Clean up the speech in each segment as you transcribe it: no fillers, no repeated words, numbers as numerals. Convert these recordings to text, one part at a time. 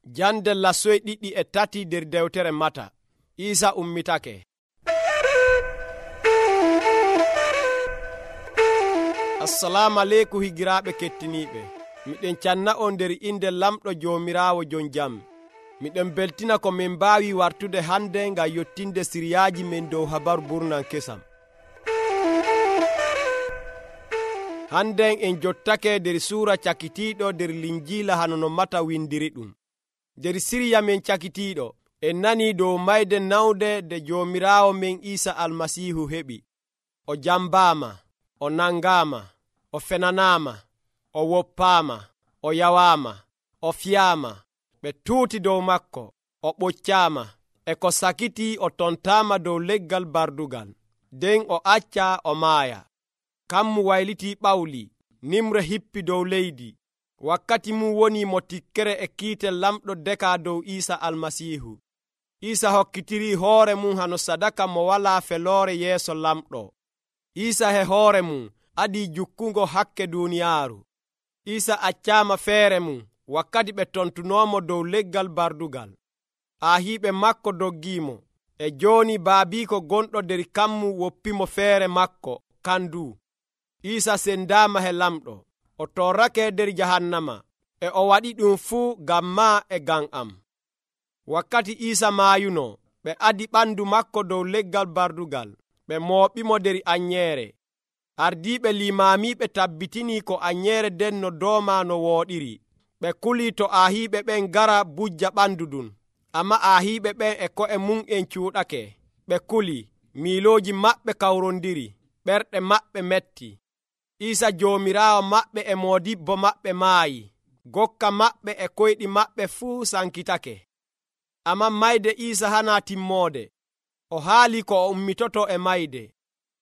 Jande lassoy 1 nder dewtere Mata. Isa ummitake. Assalamu aleykum higiraaɓe kettiniiɓe. Miɗen canna on nder inde lamɗo Joomiraawo jon jam. Miɗen beltina ko min mbaawi wartude hande ngam yottinde siriyaaji men dow habaru burnan kesam. Hande en jottake nder suura cakitiiɗo nder linjiila hano no Mata windiri ɗum. Nder siriya men cakitiiɗo en nani dow mayde nawde nde Joomiraawo men Iisa Almasiihu heɓi. O jambaama, o nangaama, o fenanaama, o woppaama, o yawaama, o fiyaama, ɓe tuuti dow makko, o ɓoccaama, e ko sakiti o tontaama dow leggal bardugal, nden o acca o maaya. Kammu wayliti ɓawli, nimre hippi dow leydi. Wakkati mum woni mo tikkere e kiite lamɗo deka dow Iisa Almasiihu. Iisa hokkitiri hoore mum hano sadaka mo walaa feloore yeeso lamɗo. Iisa he hoore mum adii jukkungo hakke duuniyaaru. Iisa accaama feere mum wakkati ɓe tontunoomo dow leggal bardugal. Aahiiɓe makko doggiimo, e jooni baabiiko gonɗo nder kammu woppimo feere makko kandu. Iisa sendaama he lamɗo, o torrake nder jahannama, e o waɗi ɗum fuu ngam maa e ngam am. Wakkati Iisa maayuno, ɓe adi ɓandu makko dow leggal bardugal, ɓe mooɓimo nder anyeere. Ardiiɓe limaamiiɓe tabbitini ko anyeere den no dooma no wooɗiri. Ɓe kulii to aahiiɓe ɓen ngara bujja ɓandu ɗum, amma aahiiɓe ɓen e ko'e mum en cuuɗake. Ɓe kuli, miilooji maɓɓe kawrondiri, ɓerɗe maɓɓe metti. Iisa Joomiraawo maɓɓe e moodibbo maɓɓe maayi, gokka maɓɓe e koyɗi maɓɓe fuu sankitake. Amma mayde Iisa hanaa timmoode, o haali ko o ummitoto e mayde.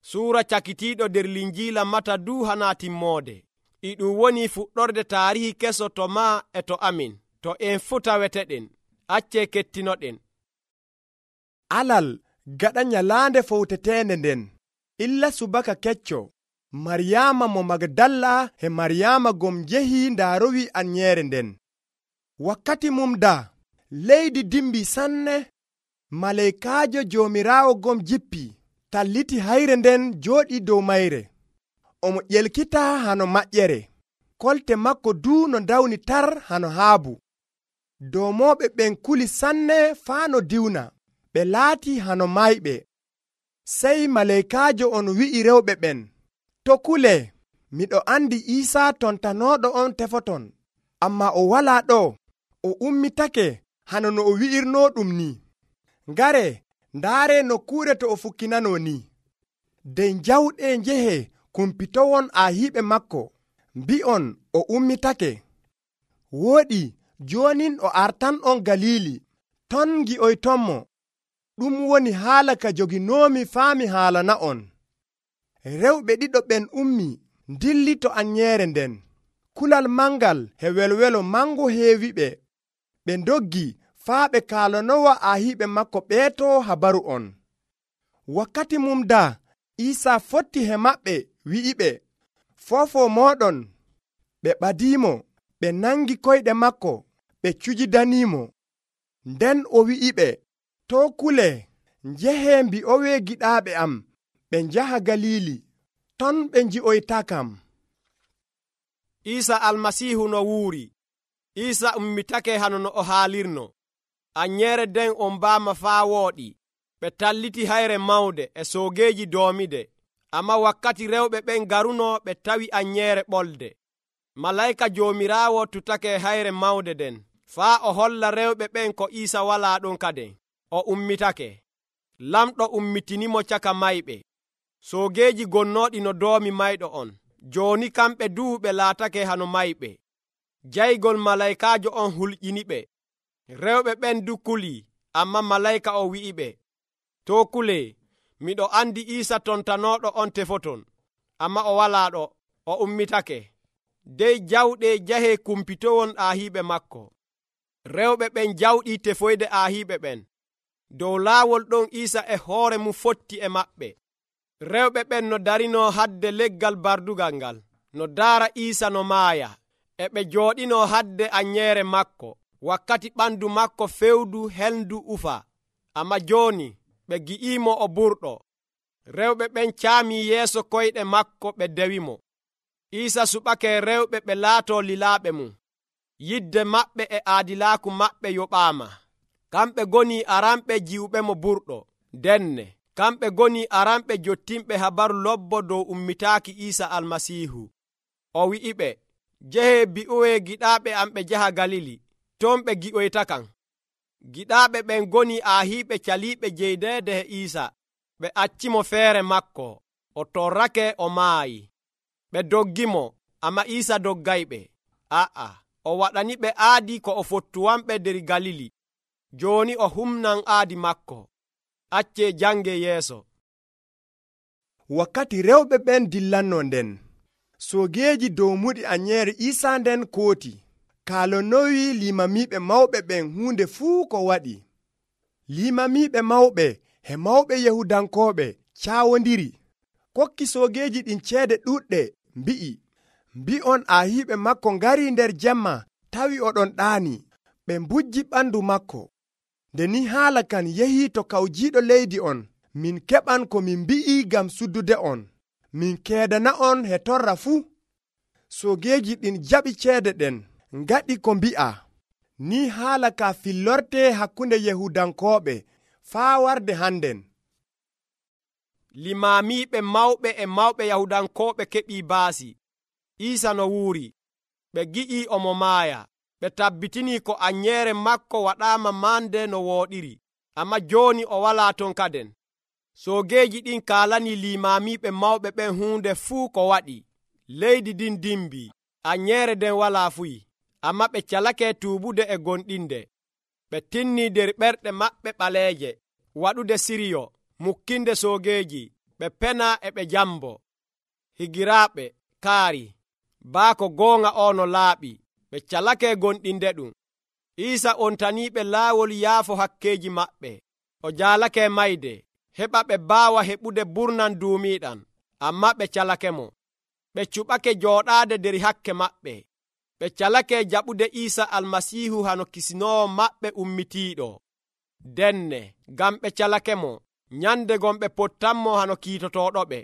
Suura cakitiiɗo nder linjiila Mata du hanaa timmoode. E ɗum woni fuɗɗorde taarihi keso to maa e to amin, to en fuu taweteɗen. Accee kettinoɗen. Alal gaɗa nyalaande fowteteende nden, illa subaka kecco, Maryaama mo Magdalla e Maryaama gom jehi ndaarowi anyeere nden. Wakkati mum daa, leydi dimbi sanne, maleykaajo Joomiraawo gom jippi, talliti hayre nden jooɗi dow mayre. Omo ƴelkita hano maƴƴere, kolte makko duu no dawni tar hano haabu. Doomooɓe ɓen kuli sanne faa no diwna, ɓe laati hano mayɓe. Sey maleykaajo on wi'i rewɓe ɓen, to kule, miɗo andi Iisa tontanooɗo on tefoton, amma o walaa ɗo, o ummitake hano no o wi'irnoo ɗum ni. Ngare, ndaare nokkuure to o fukkinanoo ni. Den jawɗe njehe kumpitowon aahiiɓe makko, mbi'on o ummitake. Wooɗi, joonin o artan'on Galiili, ton ngi'oytonmo. Ɗum woni haala ka joginoomi faami haalana'on. Rewɓe ɗiɗo ɓen ummi, dilli to anyeere nden. Kulal mangal e welwelo mango heewi ɓe. Ɓe ndoggi faa ɓe kaalanowa aahiiɓe makko ɓeeto habaru on. Wakkati mum daa, Iisa fotti he maɓɓe wi'iɓe, fofo mooɗon. Ɓe ɓadiimo, ɓe nangi koyɗe makko, ɓe cujidaniimo. Nden o wi'iɓe, to kule, njehe mbi'owe giɗaaɓe am, ɓe njaha Galiili, ton ɓe nji'oytakam. Iisa Almasiihu no wuuri. Iisa ummitake hano no o haalirno. Anyeere den on mbaama faa wooɗi. Ɓe talliti hayre mawde e soogeeji doomide. Amma wakkati rewɓe ɓen garuno ɓe tawi anyeere ɓolde. Malayka Joomiraawo tutake hayre mawde den, faa o holla rewɓe ɓen ko Iisa walaa ɗon kaden. O ummitake. Lamɗo ummitinimo caka mayɓe. Soogeeji gonnooɗi no doomi mayɗo on. Jooni kamɓe duu ɓe laatake hano mayɓe. Jaygol malaykaajo on hulƴiniɓe. Rewɓe ɓen du kulii, amma malayka o wi'iɓe, to kule, miɗo andi Iisa tontanooɗo on tefoton, amma o walaa ɗo, o ummitake. Dey jawɗe jahe kumpitowon aahiiɓe makko. Rewɓe ɓen jawɗi tefoyde aahiiɓe ɓen. Dow laawol ɗon Iisa e hoore mum fotti e maɓɓe. Rewɓe ɓen no darino hadde leggal bardugal ngal, no daara Iisa no maaya, e ɓe jooɗino hadde anyeere makko, wakkati ɓandu makko fewdu hendu ufa, amma jooni ɓe gi'imo o burɗo. Rewɓe ɓen caami yeeso koyɗe makko ɓe dewimo. Iisa suɓake rewɓe ɓe laato lilaaɓe mum. Yidde maɓɓe e aadilaaku maɓɓe yoɓaama. Kamɓe goni aranɓe jiwɓe mo burɗo. Denne kamɓe goni aranɓe jottimɓe habaru lobbo dow ummitaaki Iisa Almasiihu. O wi'iɓe, jehe bi'oye giɗaaɓe am ɓe jaha Galili, ton ɓe gi'oytakam. Giɗaaɓe ɓen goni aahiiɓe caliiɓe jeydeede e Iisa. Ɓe accimo feere makko, o torrake o maayi. Ɓe doggimo, amma Iisa doggayɓe. O waɗani ɓe aadi ko o fottuwanɓe der Galili. Jooni o humnan aadi makko. Acce jange yeeso. Wakkati rewɓe ɓen dillanno nden, soogeeji dow muɗi anyere Iisa nden kooti, kaalonowi limamiiɓe mawɓe ɓen huunde fuu ko waɗi. Limamiiɓe mawɓe e mawɓe Yahudankooɓe caawondiri, kokki soogeeji ɗin ceede ɗuɗɗe, mbi'on aahiiɓe makko ngari nder jemma tawi oɗon ɗaani. Ɓe mbujji ɓandu makko. Nde ni haala kan yahii to kawjiiɗo leydi on, min keɓan ko min mbi'i ngam suddude on. Min keedana on he torra fuu. Soogeeji ɗin jaɓi ceede ɗen, ngaɗi ko mbi'a. Ni haala ka fillorte hakkunde Yahudankooɓe faa warde hannden. Limaamiiɓe mawɓe e mawɓe Yahudankooɓe keɓii baasi. Iisa no wuuri. Ɓe gi'i omo maaya. Ɓe tabbitini ko anyere makko waɗaama mande no wooɗiri, amma jooni o walaa ton kaden. Soogeeji ɗin kaalani limaamiiɓe mawɓe ɓen huunde fuu ko waɗi. Leydi ɗin dimbii, anyere den walaa fuyi, amma ɓe calake tuubude e gonɗinde. Ɓe tinnii der ɓerɗe maɓɓe ɓaleeje waɗude siriyo, mukkinde soogeeji. Ɓe pena e ɓe jambo. Higiraaɓe kaari, baako goonga o no laaɓi. Ɓe calake gonɗinde ɗum. Iisa ontaniiɓe laawol yaafo hakkeeji maɓɓe. O jaalake mayde, heɓa ɓe baawa heɓude burnan duumiiɗan, amma ɓe calake mo. Ɓe cuɓake jooɗaade der hakke maɓɓe. Ɓe calake jaɓude Iisa Almasiihu hano kisinoowo maɓɓe ummitiiɗo. Denne ngam ɓe calake mo, nyande gon ɓe pottanmo hano kiitotooɗoɓe.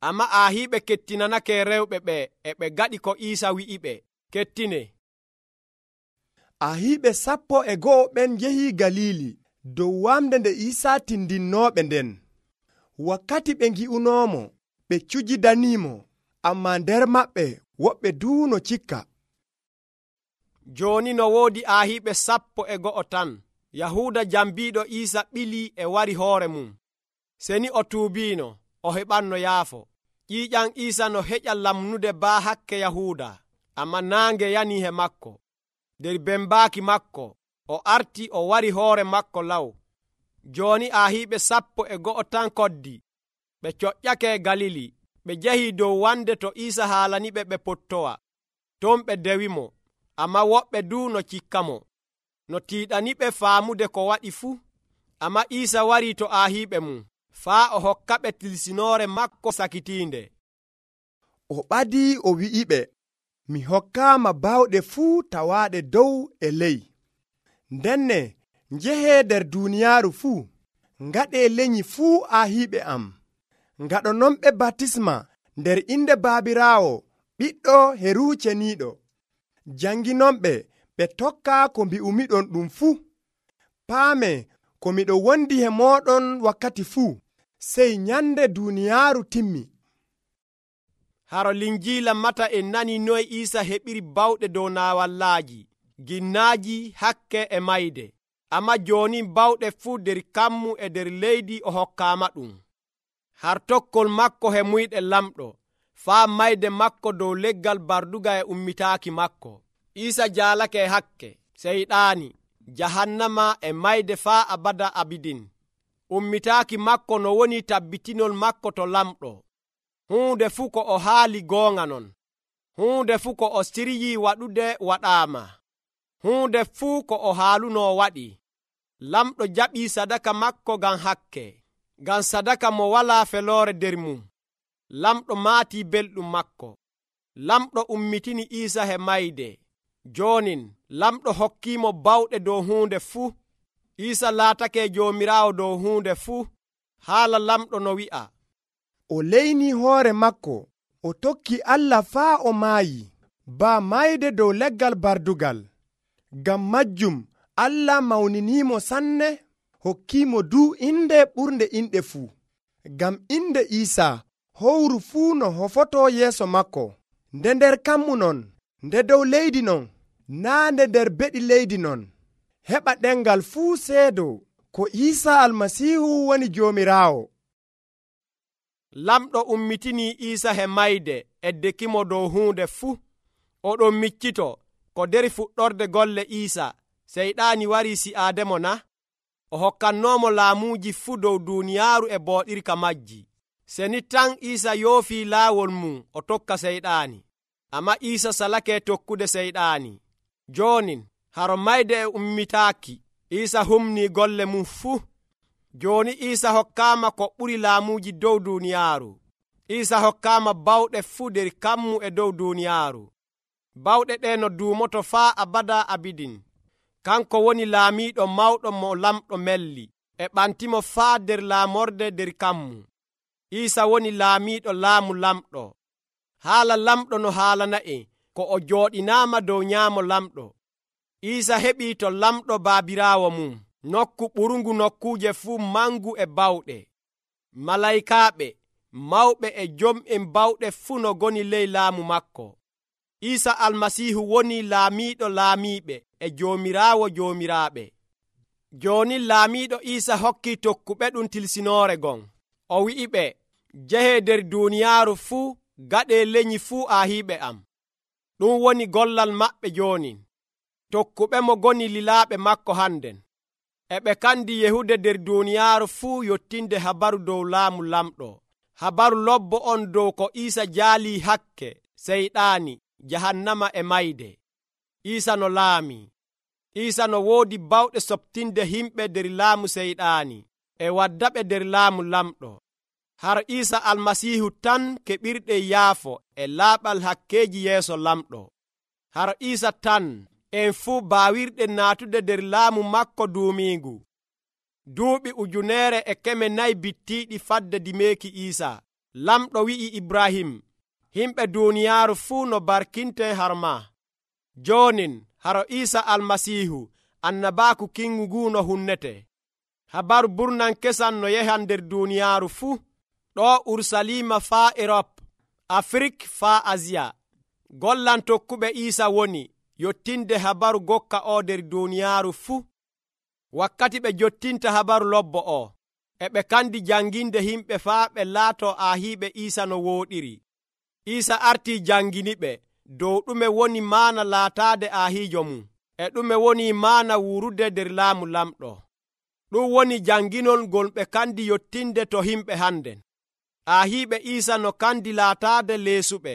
Amma aahiiɓe kettinanake rewɓe ɓe e ɓe gaɗi ko Iisa wi'iɓe. Kettine. Aahiiɓe 12 ɓen njehi Galili dow wamde nde Iisa tindinnooɓe nden. Wakkati ɓe ngi'unoomo, ɓe cujidaniimo, amma nder maɓɓe woɓɓe duuno cikka. Jooni no woodi aahiiɓe 12 tan. Yahuuda jambiiɗo Iisa ɓili e wari hoore mum. Seni o tuubiino, o heɓanno yaafo. Ƴiiƴam Iisa no heƴa lamnude baa hakke Yahuuda, amma naange yani he makko. Der bembaaki makko, o arti o wari hoore makko law. Jooni aahiiɓe 12 tan koddi. Ɓe coƴƴake Galili. Ɓe jahii dow wande to Iisa haalaniɓe ɓe pottowa. Ton ɓe dewimo, amma woɓɓe du no cikkamo, no tiiɗaniɓe faamude ko waɗi fuu. Amma Iisa warii to aahiiɓe mum, faa o hokkaɓe tilsinoore makko sakitiinde. O ɓadii o wi'iɓe, mi hokkaama baawɗe fuu tawaaɗe dow e ley. Ndenne njehee nder duuniyaaru fuu, ngaɗee lenyi fuu aahiiɓe am. Ngaɗononɓe batisma nder inde Baabiraawo, Ɓiɗɗo e Ruuhu Ceniiɗo. Janginonɓe ɓe tokka ko mbi'umiɗon ɗum fuu. Paame ko miɗo wondi e mooɗon wakkati fuu, sey nyande duuniyaaru timmi. Haro Linjiila Mata en nani noy Iisa heɓiri bawɗe dow naawallaaji, ginnaaji, hakke e mayde. Amma jooni bawɗe fuu der kammu e der leydi o hokkaama ɗum. Har tokkol makko he muyɗe lamɗo, faa mayde makko dow leggal barduga e ummitaaki makko. Iisa jaalake hakke, seyɗaani, jahannama e mayde faa abada abidin. Ummitaaki makko no woni tabbitinol makko to lamɗo. Huunde fuu ko o haali goonga non. Huunde fuu ko o siryii waɗude waɗaama. Huunde fuu ko o haalunoo waɗi. Lamɗo jaɓii sadaka makko ngam hakke, ngam sadaka mo walaa feloore der mum. Lamɗo maatii belɗum makko. Lamɗo ummitini Iisa he mayde. Joonin lamɗo hokkiimo bawɗe dow huunde fuu. Iisa laatake joomiraawo dow huunde fuu. Haala lamɗo no wi'a: o leyni hoore makko, o tokki Allah faa o maayi, baa mayde dow leggal bardugal. Ngam majjum Allah mawniniimo sanne, hokkiimo duu inde ɓurnde inɗe fuu. Ngam inde Iisaa howru fuu no hofotoo yeeso makko, nde nder kammu non, nde dow leydi non, naa nde nder beɗi leydi non. Heɓa ɗemgal fuu seedo ko Iisaa Almasiihu woni Joomiraawo. Lamɗo ummitinii Iisa he mayde eddekimo dow huunde fuu. Oɗon miccito ko nder fuɗɗorde golle Iisa Seyɗaani warii si'aademo na? O hokkannoomo laamuuji fuu dow duuniyaaru e booɗirka majji. Seni tan Iisa yoofii laawol mum o tokka Seyɗaani. Ammaa Iisa salake tokkude Seyɗaani. Joonin haro mayde e ummitaaki, Iisa humnii golle mum fuu. Jooni Iisa hokkaama ko ɓuri laamuuji dow duuniyaaru. Iisa hokkaama bawɗe fuu nder kammu e dow duuniyaaru. Bawɗe ɗe no duumoto faa abada abidin. Kanko woni laamiiɗo mawɗo mo lamɗo melli, e ɓantimo faa nder laamorde nder kammu. Iisa woni laamiiɗo laamu lamɗo. Haala lamɗo no haalana'en ko o jooɗinaama dow nyaamo lamɗo. Iisa heɓii to lamɗo baabiraawo mum, nokku ɓurungu nokkuuje fuu mangu e bawɗe. Malaykaaɓe, mawɓe e jom'en bawɗe fuu no goni ley laamu makko. Iisa Almasiihu woni laamiiɗo laamiiɓe e Joomiraawo joomiraaɓe. Jooni laamiiɗo Iisa hokkii tokkuɓe ɗum tilsinoore gon. O wi'iɓe, jehee nder duuniyaaru fuu, gaɗee lenyi fuu aahiiɓe am. Ɗum woni gollal maɓɓe joonin. Tokkuɓe mo goni lilaaɓe makko hannden. E ɓe kandi yehude nder duuniyaaru fuu yottinde habaru dow laamu lamɗo. Habaru lobbo on dow ko Iisa jaalii hakke, Seyɗaani, jahannama e mayde. Iisa no laami. Iisa no woodi bawɗe soɓtinde himɓe nder laamu Seyɗaani e waddaɓe nder laamu lamɗo. Har Iisa Almasiihu tan keɓirɗe yaafo e laaɓal hakkeeji yeeso lamɗo. Har Iisa tan en fuu baawirɗen naatude nder laamu makko duumiingu. Duuɓi 1400 bittiiɗi fadde dimeeki Iisa, lamɗo wi'i Ibrahim, himɓe duuniyaaru fuu no barkinte har maa. Joonin haro Iisa Almasiihu, annabaaku kingu nguu no hunnete. Habaru burnan kesan no yehan nder duuniyaaru fuu, ɗo Urusalima faa Erop, Afrik faa Asiya. Gollan tokkuɓe Iisa woni yottinde habaru gokka o nder duuniyaaru fuu. Wakkati ɓe jottinta habaru lobbo o, e ɓe kandi janginde himɓe faa ɓe laato aahiiɓe Iisa no wooɗiri. Iisa artii janginiɓe dow ɗume woni maana laataade aahiijo mum, e ɗume woni maana wuurude nder laamu lamɗo. Ɗum woni janginol ngol ɓe kandi yottinde to himɓe hannden. Aahiiɓe Iisa no kandi laataade leesuɓe,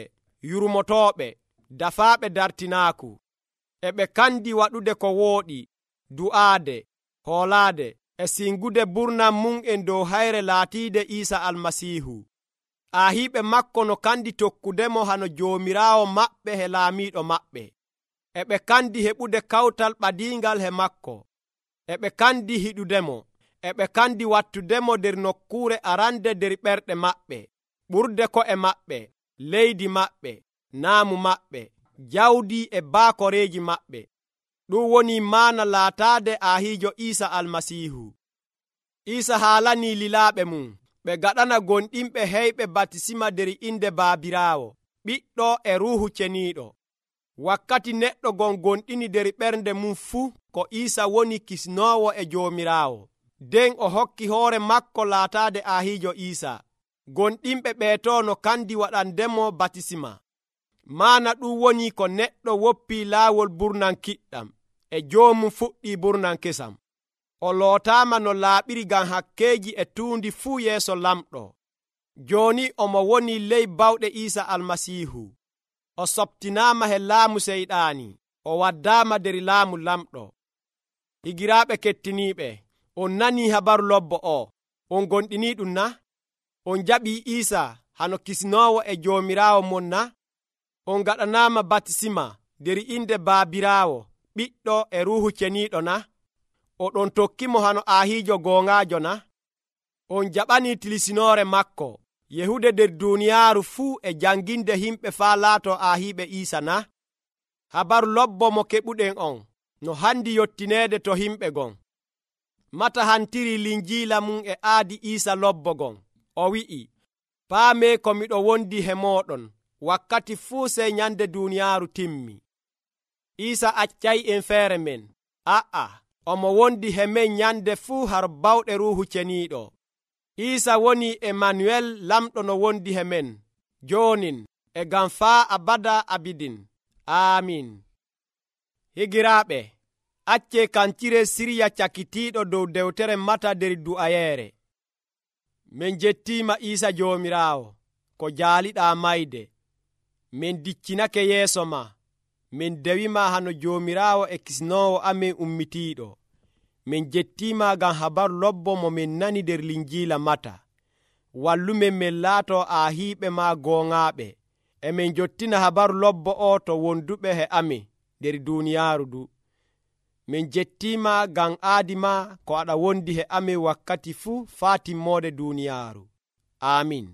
yurmotooɓe, dafaaɓe dartinaaku. E ɓe kandi waɗude ko wooɗi, du'aade, hoolaade, e singude burnan mum en dow hayre laatiide Iisa Almasiihu. Aahiiɓe makko no kandi tokkudemo hano Joomiraawo maɓɓe he laamiiɗo maɓɓe. E ɓe kandi heɓude kawtal ɓadiingal he makko. E ɓe kandi hiɗudemo. E ɓe kandi wattudemo nder nokkuure arande nder ɓerɗe maɓɓe, ɓurde ko'e maɓɓe, leydi maɓɓe, naamu maɓɓe, jawdi e baakoreeji maɓɓe. Ɗum woni maana laataade aahiijo Iisa Almasiihu. Iisa haalanii lilaaɓe mum ɓe gaɗana gonɗinɓe heyɓe batisima nder inde Baabiraawo, Ɓiɗɗo e Ruuhu Ceniiɗo. Wakkati neɗɗo gon gonɗini nder ɓernde mum fuu ko Iisa woni kisnoowo e Joomiraawo, nden o hokki hoore makko laataade aahiijo Iisa. Gonɗinɓe ɓeeto no kandi waɗandemo batisima. Maana ɗum woni ko neɗɗo woppii laawol burnan kiɗɗam, e joomum fuɗɗii burnan kesam. O lootaama no laaɓiri ngam hakkeeji e tuundi fuu yeeso lamɗo. Jooni omo woni ley bawɗe Iisa Almasiihu. O soɓtinaama he laamu Seyɗaani, o waddaama nder laamu lamɗo. Higiraaɓe kettiniiɓe, on nanii habaru lobbo o, on gonɗinii ɗum na? On jaɓii Iisa hano kisnoowo e Joomiraawo mon na? On gaɗanaama batisima nder inde Baabiraawo, ɓiɗɗo e ruuhu ceniiɗo na? Oɗon tokkimo hano aahiijo goongaajo na? On jaɓanii tilisinoore makko yehude nder duuniyaaru fuu e janginde himɓe faa laato aahiiɓe Iisa na? Habaru lobbo mo keɓuɗen on no handi yottineede to himɓe gon. Mata hantiri linjiila mum e aadi Iisa lobbo gon. O wi'i, paamee ko miɗo wondi he mooɗon wakkati fuu sey nyande duuniyaaru timmi. Iisa accay en feere men. Omo wondi he men nyande fuu har bawɗe ruuhu ceniiɗo. Iisa woni Emanuel, lamɗo no wondi he men joonin e ngam faa abada abidin. Aamin. Higiraaɓe, accee kancire sirya cakitiiɗo dow dewtere Mata nder du'ayeere. Min jettiima Iisa Joomiraawo ko jaaliɗaa mayde. Min diccinake yeeso ma. Min dewima hano Joomiraawo e kisnoowo amin ummitiiɗo. Min jettiima ngam habaru lobbo mo min nani nder linjiila Mata. Wallumen min laato aahiiɓe ma gooŋaaɓe. E min jottina habaru lobbo o to wonduɓe he amin nder duuniyaaru du. Min jettiima ngam aadi ma ko aɗa wondi he amin wakkati fuu faa timmoode duuniyaaru. Aamin.